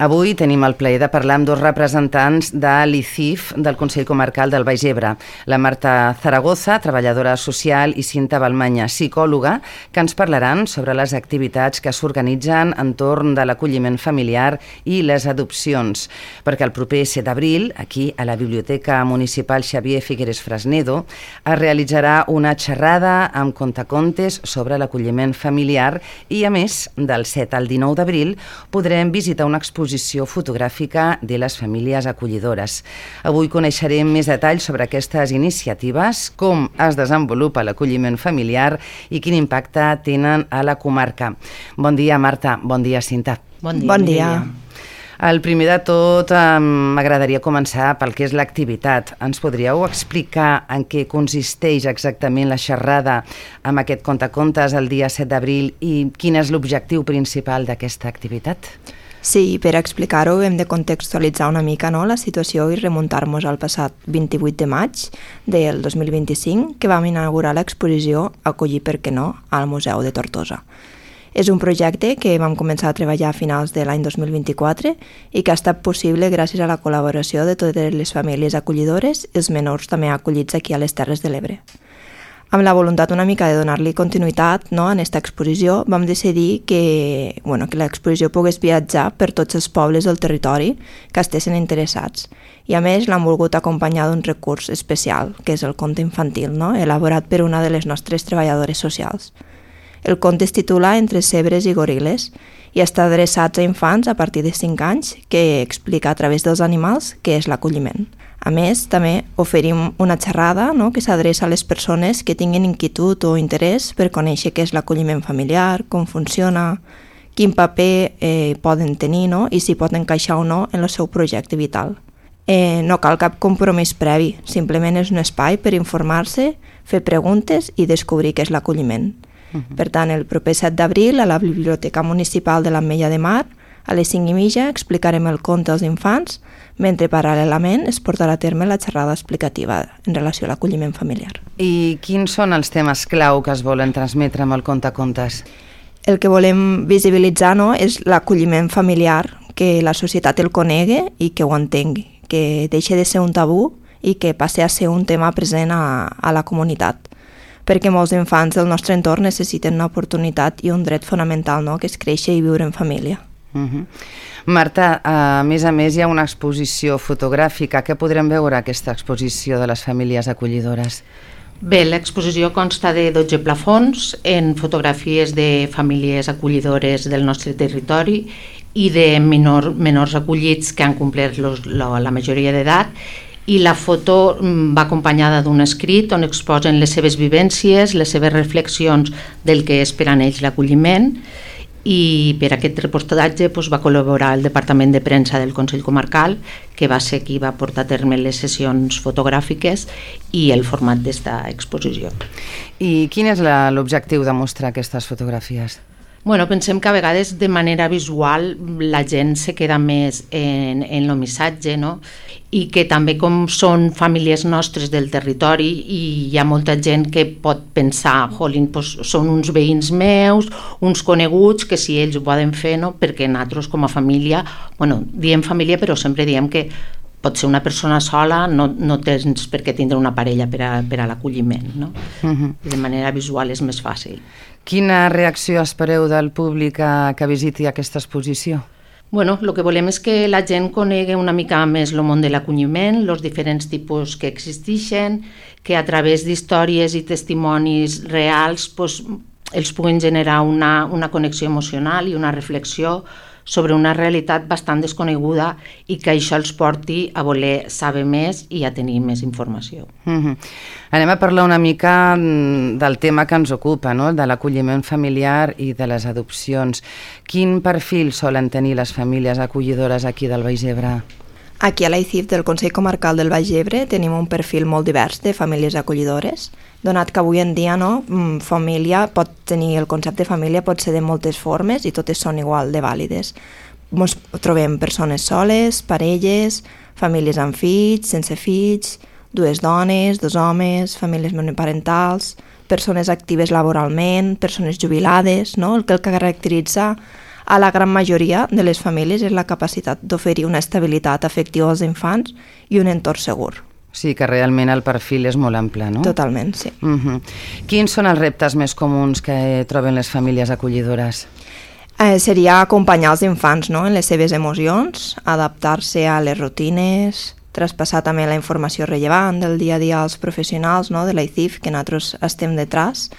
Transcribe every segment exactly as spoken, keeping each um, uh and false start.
Avui tenim el plaer de parlar amb dos representants de l'I C I F del Consell Comarcal del Baix Ebre, la Marta Zaragoza, treballadora social, i Cinta Balmanya, psicòloga, que ens parlaran sobre les activitats que s'organitzen entorn de l'acolliment familiar i les adopcions, perquè el proper set d'abril, aquí a la Biblioteca Municipal Xavier Figueres Fresnedo, es realitzarà una xerrada amb contacontes sobre l'acolliment familiar i, a més, del set al dinou d'abril, podrem visitar una exposició fotogràfica de les famílies acollidores. Avui coneixerem més detalls sobre aquestes iniciatives, com es desenvolupa l'acolliment familiar i quin impacte tenen a la comarca. Bon dia, Marta. Bon dia, Cinta. Bon dia. Bon dia. El primer de tot, m'agradaria començar pel que és l'activitat. Ens podríeu explicar en què consisteix exactament la xerrada amb aquest contacontes el dia set d'abril i quin és l'objectiu principal d'aquesta activitat? Sí, per explicar-ho hem de contextualitzar una mica, no?, la situació i remuntar-nos al passat vint-i-vuit de maig del dos mil vint-i-cinc, que vam inaugurar l'exposició Acollir per què no al Museu de Tortosa. És un projecte que vam començar a treballar a finals de l'any dos mil vint-i-quatre i que ha estat possible gràcies a la col·laboració de totes les famílies acollidores i els menors també acollits aquí a les Terres de l'Ebre. Amb la voluntat una mica de donar-li continuïtat, no, en aquesta exposició, vam decidir que, bueno, que l'exposició pogués viatjar per tots els pobles del territori que estessin interessats. I a més l'han volgut acompanyar d'un recurs especial, que és el conte infantil, no, elaborat per una de les nostres treballadores socials. El conte es titula Entre cebres i goril·les i està adreçat a infants a partir de cinc anys que explica a través dels animals què és l'acolliment. A més, també oferim una xerrada, no?, que s'adreça a les persones que tinguin inquietud o interès per conèixer què és l'acolliment familiar, com funciona, quin paper eh, poden tenir, no?, i si poden encaixar o no en el seu projecte vital. Eh, no cal cap compromís previ, simplement és un espai per informar-se, fer preguntes i descobrir què és l'acolliment. Uh-huh. Per tant, el proper set d'abril a la Biblioteca Municipal de l'Ametlla de Mar, a les cinc i mitja explicarem el conte als infants, mentre paral·lelament es portarà a terme la xerrada explicativa en relació a l'acolliment familiar. I quins són els temes clau que es volen transmetre amb el contacontes? El que volem visibilitzar, no, és l'acolliment familiar, que la societat el conegui i que ho entengui, que deixi de ser un tabú i que passi a ser un tema present a, a la comunitat, perquè molts infants del nostre entorn necessiten una oportunitat i un dret fonamental, no?, que és créixer i viure en família. Uh-huh. Marta, a més a més hi ha una exposició fotogràfica. Què podrem veure aquesta exposició de les famílies acollidores? Bé, l'exposició consta de dotze plafons en fotografies de famílies acollidores del nostre territori i de menor, menors acollits que han complert los, la, la majoria d'edat, i la foto va acompanyada d'un escrit on exposen les seves vivències, les seves reflexions del que és per a ells l'acolliment. I per aquest reportatge doncs, va col·laborar el Departament de Premsa del Consell Comarcal, que va ser qui va portar a terme les sessions fotogràfiques i el format d'esta exposició. I quin és la, l'objectiu de mostrar aquestes fotografies? Bueno, pensem que a vegades de manera visual la gent se queda més en, en el missatge, no? I que també com són famílies nostres del territori i hi ha molta gent que pot pensar, jolín, doncs són uns veïns meus, uns coneguts, que si ells ho poden fer, no? Perquè nosaltres com a família, bueno, diem família però sempre diem que pot ser una persona sola, no, no tens per què tindre una parella per a, per a l'acolliment, no? Uh-huh. De manera visual és més fàcil. Quina reacció espereu del públic a, que visiti aquesta exposició? Bueno, el que volem és que la gent conegui una mica més el món de l'acolliment, els diferents tipus que existeixen, que a través d'històries i testimonis reals pues, els puguin generar una, una connexió emocional i una reflexió sobre una realitat bastant desconeguda i que això els porti a voler saber més i a tenir més informació. Mm-hmm. Anem a parlar una mica del tema que ens ocupa, no? De l'acolliment familiar i de les adopcions. Quin perfil solen tenir les famílies acollidores aquí del Baix Ebre? Aquí a l'I C I F del Consell Comarcal del Baix Ebre tenim un perfil molt divers de famílies acollidores, donat que avui en dia, no, família pot tenir, el concepte de família pot ser de moltes formes i totes són igual de vàlides. Ens trobem persones soles, parelles, famílies amb fills, sense fills, dues dones, dos homes, famílies monoparentals, persones actives laboralment, persones jubilades, no? El que el caracteritza a la gran majoria de les famílies és la capacitat d'oferir una estabilitat afectiva als infants i un entorn segur. Sí, que realment el perfil és molt ample, no? Totalment, sí. Uh-huh. Quins són els reptes més comuns que troben les famílies acollidores? Eh, seria acompanyar els infants, no?, en les seves emocions, adaptar-se a les rutines, traspassar també la informació rellevant del dia a dia als professionals, no?, de l'A I C I F, que nosaltres estem detrás.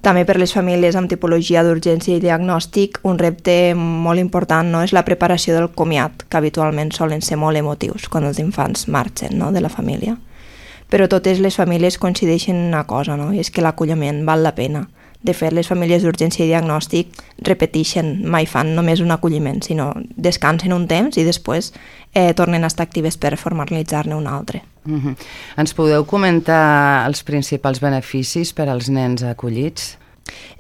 També per les famílies amb tipologia d'urgència i diagnòstic, un repte molt important, no?, és la preparació del comiat, que habitualment solen ser molt emotius quan els infants marxen, no?, de la família. Però totes les famílies coincideixen en una cosa, no?, i és que l'acolliment val la pena. De fet, les famílies d'urgència i diagnòstic repeteixen, mai fan només un acolliment, sinó descansen un temps i després eh, tornen a estar actives per formalitzar-ne un altre. Uh-huh. Ens podeu comentar els principals beneficis per als nens acollits?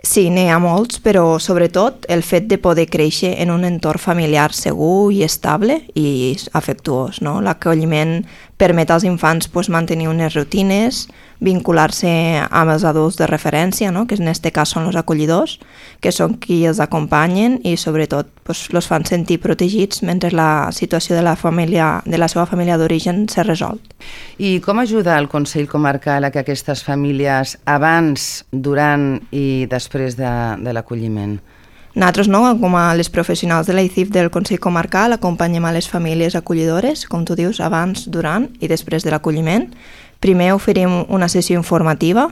Sí, n'hi ha molts, però sobretot el fet de poder créixer en un entorn familiar segur i estable i afectuós, no? L'acolliment permet als infants pues, mantenir unes rutines, vincular-se amb els adults de referència, no?, que en aquest cas són els acollidors, que són qui els acompanyen i sobretot pues, els fan sentir protegits mentre la situació de la, família, de la seva família d'origen s'ha resolt. I com ajuda el Consell Comarcal a que aquestes famílies abans, durant i després de, de l'acolliment? Nosaltres, no, com a les professionals de l'A I C I F del Consell Comarcal, acompanyem a les famílies acollidores, com tu dius, abans, durant i després de l'acolliment. Primer oferim una sessió informativa,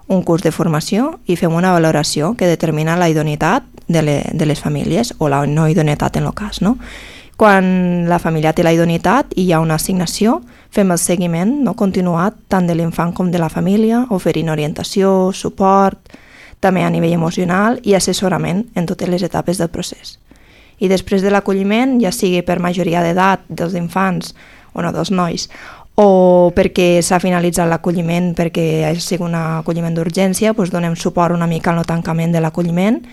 un curs de formació i fem una valoració que determina la idoneïtat de, le, de les famílies o la no idoneïtat en el cas, no? Quan la família té la idoneïtat i hi ha una assignació, fem el seguiment no, continuat tant de l'infant com de la família, oferint orientació, suport, també a nivell emocional i assessorament en totes les etapes del procés. I després de l'acolliment, ja sigui per majoria d'edat dels infants o no dels nois, o perquè s'ha finalitzat l'acolliment perquè ha sigut un acolliment d'urgència, doncs donem suport una mica al tancament de l'acolliment,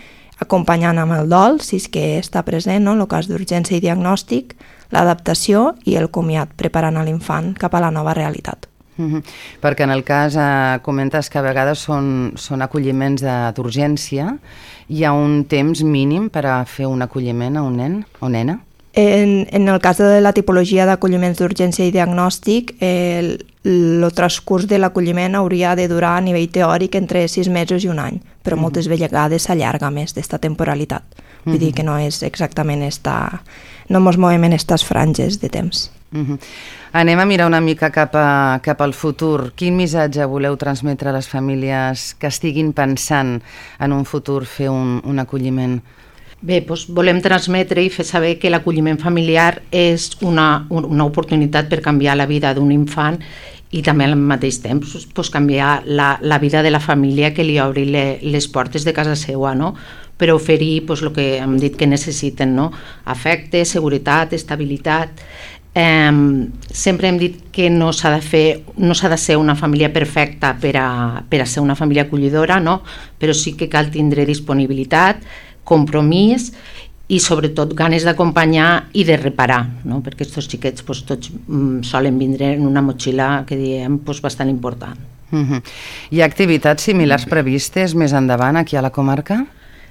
acompanyant amb el dol, si és que està present, no? En el cas d'urgència i diagnòstic, l'adaptació i el comiat, preparant a l'infant cap a la nova realitat. Uh-huh. Perquè en el cas eh, comentes que a vegades són, són acolliments d'urgència, hi ha un temps mínim per a fer un acolliment a un nen o nena? En, en el cas de la tipologia d'acolliments d'urgència i diagnòstic, el, el transcurs de l'acolliment hauria de durar a nivell teòric entre sis mesos i un any, però uh-huh. moltes vegades s'allarga més d'esta temporalitat. Vull uh-huh. dir que no és exactament esta... no ens movem en aquestes franges de temps. Uh-huh. Anem a mirar una mica cap, a, cap al futur. Quin missatge voleu transmetre a les famílies que estiguin pensant en un futur fer un, un acolliment? Bé, doncs volem transmetre i fer saber que l'acolliment familiar és una, una oportunitat per canviar la vida d'un infant i també al mateix temps doncs, canviar la, la vida de la família que li obri le, les portes de casa seva, no? Per oferir doncs, el que hem dit que necessiten, no? Afecte, seguretat, estabilitat. Eh, sempre hem dit que no s'ha de fer, no s'ha de ser una família perfecta per a, per a ser una família acollidora, no? Però sí que cal tindre disponibilitat, compromís i sobretot ganes d'acompanyar i de reparar, no? Perquè aquests xiquets doncs, tots mm, solen vindre en una motxilla que diem doncs, bastant important. Uh-huh. Hi ha activitats similars previstes més endavant aquí a la comarca?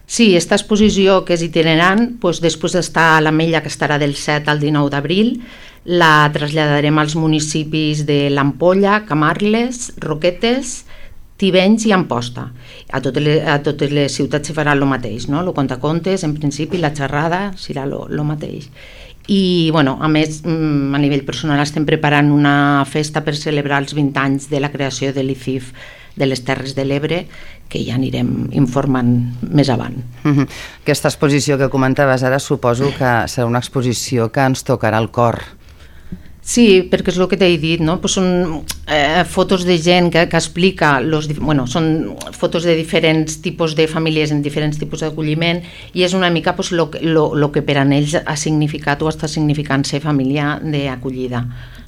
Sí, aquesta exposició que és itinerant, doncs, després d'estar a l'Ametlla, que estarà del set al dinou d'abril, la traslladarem als municipis de l'Ampolla, Camarles, Roquetes, Tivenys i Amposta. A totes les, a totes les ciutats s'hi farà el mateix, no? El contacontes, en principi, la xerrada serà el mateix. I, bueno, a més, a nivell personal estem preparant una festa per celebrar els vint anys de la creació de l'I C I F de les Terres de l'Ebre, que ja anirem informant més avant. Uh-huh. Aquesta exposició que comentaves ara suposo que serà una exposició que ens tocarà el cor. Sí, perquè és el que t'he dit, no? Pues són eh, fotos de gent que, que explica, los, bueno, són fotos de diferents tipus de famílies en diferents tipus d'acolliment i és una mica pues, lo, lo, lo que per a ells ha significat o està significant ser família d'acollida.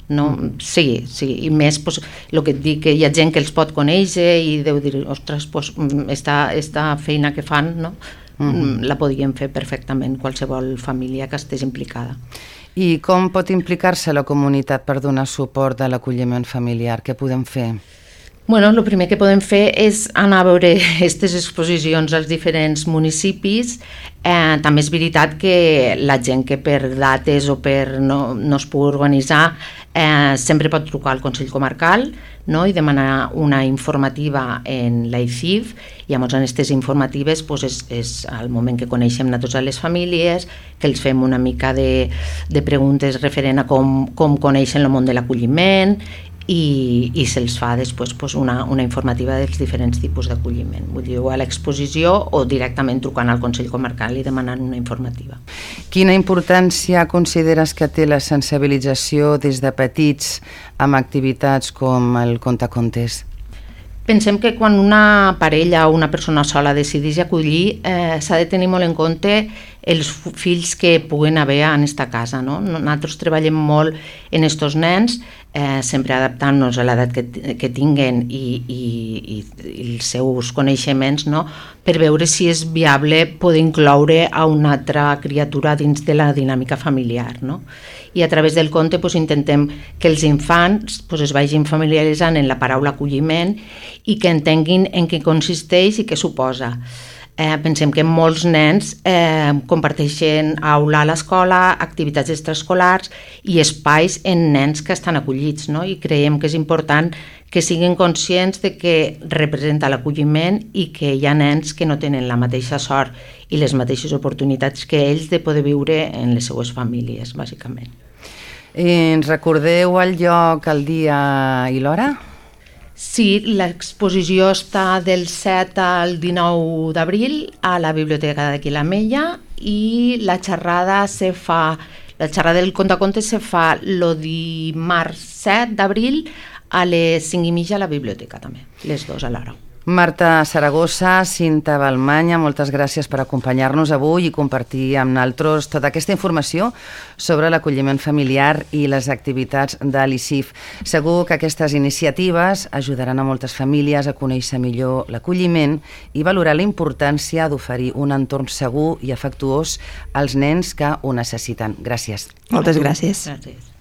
No? Sí, sí, i més pues, el que et dic, que hi ha gent que els pot conèixer i deu dir, ostres, pues, esta, esta feina que fan, no? Uh-huh. La podríem fer perfectament qualsevol família que estigués implicada. I com pot implicar-se la comunitat per donar suport a l'acolliment familiar? Què podem fer? Bueno, el primer que podem fer és anar a veure aquestes exposicions als diferents municipis. Eh, també és veritat que la gent que per dates o per no, no es pugui organitzar eh, sempre pot trucar al Consell Comarcal, no? I demanar una informativa en l'A I C I F, i llavors en aquestes informatives doncs és, és el moment que coneixem a totes les famílies, que els fem una mica de, de preguntes referent a com, com coneixen el món de l'acolliment, i, i se'ls fa després pues, una, una informativa dels diferents tipus d'acolliment. Vull dir, o a l'exposició o directament trucant al Consell Comarcal i demanant una informativa. Quina importància consideres que té la sensibilització des de petits amb activitats com el contacontes? Pensem que quan una parella o una persona sola decideix acollir, eh, s'ha de tenir molt en compte els fills que puguen haver en aquesta casa. No? Nosaltres treballem molt en estos nens, eh, sempre adaptant-nos a l'edat que, que tinguen i, i, i, i els seus coneixements, no? Per veure si és viable poder incloure a una altra criatura dins de la dinàmica familiar. No? I a través del conte pues, intentem que els infants pues, es vagin familiaritzant en la paraula acolliment i que entenguin en què consisteix i què suposa. Eh, pensem que molts nens eh, comparteixen aula a l'escola, activitats extraescolars i espais en nens que estan acollits, no? I creiem que és important que siguin conscients de que representa l'acolliment i que hi ha nens que no tenen la mateixa sort i les mateixes oportunitats que ells de poder viure en les seues famílies, bàsicament. Eh, ens recordeu el lloc, el dia i l'hora? Sí, l'exposició està del set al dinou d'abril a la Biblioteca d'aquí la Mella i la xerrada se fa, la xerrada del contacontes se fa el dimarts set d'abril a les cinc i mitja a la biblioteca també, les dues a l'hora. Marta Saragossa, Cinta Balmanya, moltes gràcies per acompanyar-nos avui i compartir amb nosaltres tota aquesta informació sobre l'acolliment familiar i les activitats de l'I C I F. Segur que aquestes iniciatives ajudaran a moltes famílies a conèixer millor l'acolliment i valorar la importància d'oferir un entorn segur i afectuós als nens que ho necessiten. Gràcies. Moltes gràcies. Gràcies.